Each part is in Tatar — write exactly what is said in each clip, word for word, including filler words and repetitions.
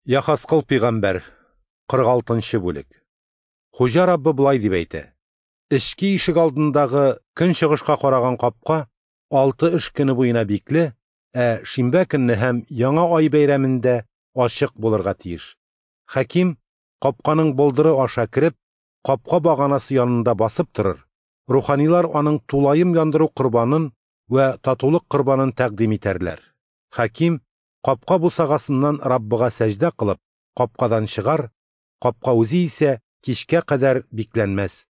Яхаскыл пигамбәр, кырык алтынчы бүлек. Хуҗа Раббы болай дип әйтә: Эчке ишек алдындагы көнчыгышка караган капка алты эш көне буена бикле, ә шимбә көнне һәм яңа ай бәйрәмендә ачык булырга тиеш. Хаким капканың болдыры аша кереп, капка баганасы янында басып торыр. Руханилар аның тулаем яндыру корбанын вә татулык корбанын тәкъдим итәрләр. Хаким капка бусагасыннан Раббыга сәҗдә кылып, капкадан чыгар, капка үзе исә кичкә кадәр бикләнмәс.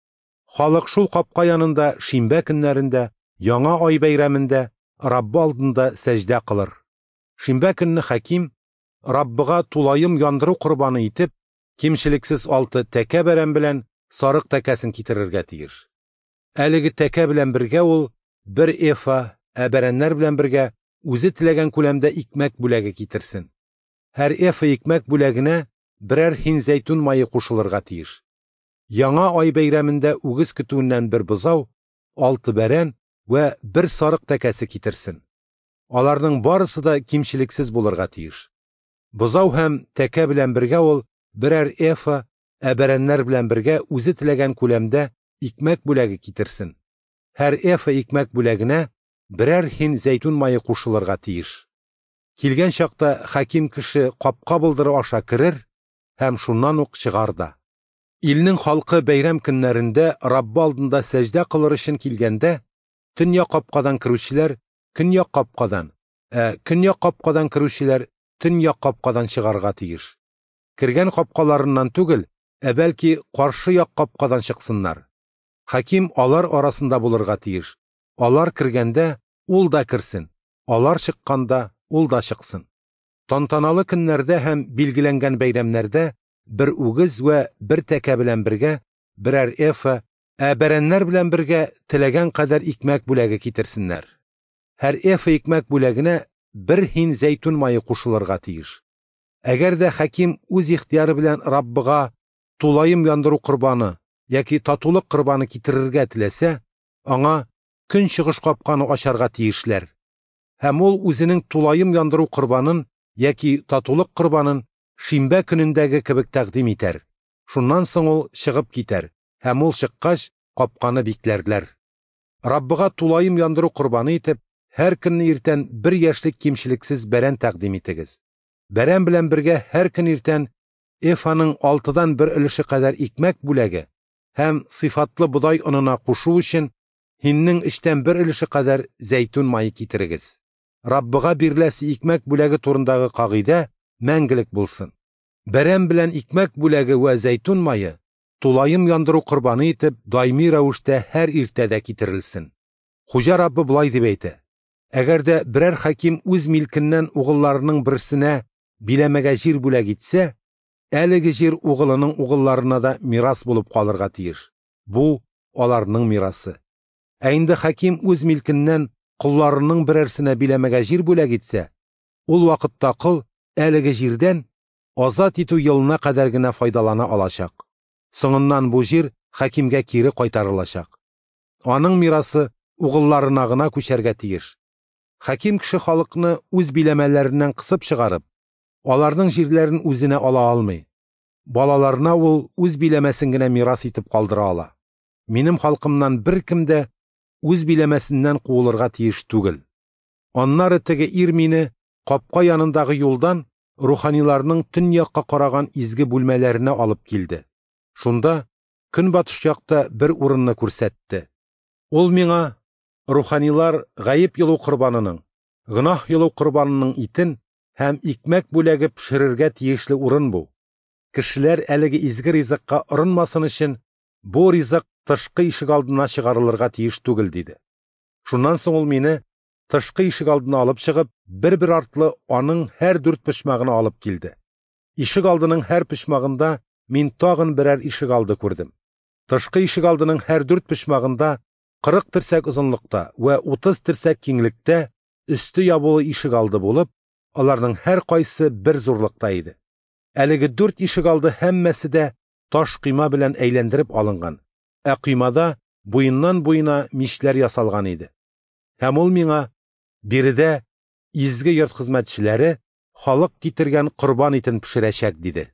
Халык шул капка янында шимбә көннәрендә, яңа ай бәйрәмендә Раббы алдында сәҗдә кылыр. Шимбә көнне хаким Раббыга тулаем яндыру корбаны итеп, кимчелексез алты тәкә бәрән белән сарык тәкәсен китерергә тиеш. Әлеге тәкә белән бергә ул бер эфа, ә бәрәннәр белән бергә үзе теләгән күләмдә икмәк бүләге китерсен. Һәр эфа икмәк бүләгенә берәр һин зәйтүн мае кушылырга тиеш. Яңа ай бәйрәмендә үгез көтүеннән бер бозау, алты бәрән вә бер сарык тәкәсе китерсен. Аларның барысы да кимчелексез булырга тиеш. Бозау һәм тәкә белән бергә ул берәр эфа, ә бәрәннәр белән бергә үзе теләгән күләмдә икмәк бүләге китерсен. Һәр эфа икмәк бүләгенә берәр һин зәйтүн мае кушылырга тиеш. Килгән чакта хаким кеше капка болдыры аша керер һәм шуннан ук чыгар да. Илнең халкы бәйрәм көннәрендә Раббы алдында сәҗдә кылыр өчен килгәндә, төньяк капкадан керүчеләр көньяк капкадан, ә көньяк капкадан керүчеләр төньяк капкадан чыгарга тиеш. Кергән капкаларыннан түгел, ә бәлки каршы як капкадан чыксыннар. Хаким алар арасында булырга тиеш. Алар кергәндә ул да керсен, алар чыкканда ул да чыксын. Тантаналы көннәрдә һәм билгеләнгән бәйрәмнәрдә бер үгез вә бер тәкә белән бергә берәр эфа, ә бәрәннәр белән бергә теләгән кадәр икмәк бүләге китерсеннәр. Һәр эфа икмәк бүләгенә бер һин зәйтүн мае кушылырга тиеш. Әгәр дә хаким үз ихтияры белән Раббыга тулаем яндыру корбаны яки татулык корбаны китерергә теләсә, аңа көнчыгыш капканы ачарга тиешләр. Һәм ул үзенең тулаем яндыру корбанын яки татулык корбанын шимбә көнендәге кебек тәкъдим итәр. Шуннан соң ул чыгып китәр, һәм ул чыккач капканы бикләрләр. Раббыга тулаем яндыру корбаны итеп, һәр көнне иртән бер яшьлек кимчелексез бәрән тәкъдим итегез. Бәрән белән бергә һәр көн иртән эфаның алтыдан бер өлеше кадәр икмәк бүләге һәм сыйфатлы бодай онына кушу өчен һиннең өчтән бер өлеше кадәр зәйтүн мае китерегез. Раббыга биреләсе икмәк бүләге турындагы кагыйдә мәңгелек булсын. Бәрән белән икмәк бүләге вә зәйтүн мае тулаем яндыру корбаны итеп даими рәвештә һәр иртәдә китерелсен. Хуҗа Раббы болай дип әйтә: Әгәр дә берәр хаким үз милкеннән угылларының берсенә биләмәгә җир бүләк итсә, әлеге җир угылының угылларына да мирас булып калырга тиеш. Бу аларның мирасы. Ә инде хаким үз милкеннән колларының берәрсенә биләмәгә җир бүләк итсә, ул вакытта кол әлеге җирдән азат итү елына кадәр генә файдалана алачак. Соңыннан бу җир хакимгә кире кайтарылачак. Аның мирасы угылларына гына күчәргә тиеш. Хаким кеше халыкны үз биләмәләреннән кысып чыгарып, аларның җирләрен үзенә ала алмый. Балаларына ул үз биләмәсен генә мирас итеп калдыра ала. Минем халкымнан беркем дә үз биләмәсеннән куылырга тиеш түгел. Аннары теге ир мине капка янындагы юлдан руханиларның төньякка караган изге бүлмәләренә алып килде. Шунда көнбатыш якта бер урынны күрсәтте. Ул миңа руханилар гаеп йолу корбанының, гөнаһ йолу корбанының итен һәм икмәк бүләге пешерергә тиешле урын бу. Кешеләр әлеге изге ризыкка орынмасын өчен бу ризык тышкы ишек алдына чыгарылырга тиеш түгел, диде. Шуннан соң ул мине тышкы ишек алдына алып чыгып, бер-бер артлы аның һәр дүрт почмагына алып килде. Ишек алдының һәр почмагында мин тагын берәр ишек алды күрдем. Тышкы ишек алдының һәр дүрт почмагында кырык терсәк озынлыкта вә утыз терсәк киңлектә өсте ябулы ишек алды булып, аларның һәр кайсы бер зурлыкта иде. Әлеге дүрт ишек алды һәммәсе дә таш койма белән әйләндереп алынган, ә коймада буеннан буена мишләр ясалган иде. Һәм ул миңа: биредә изге йорт хезмәтчеләре халык китергән корбан итен пешерәчәк, диде.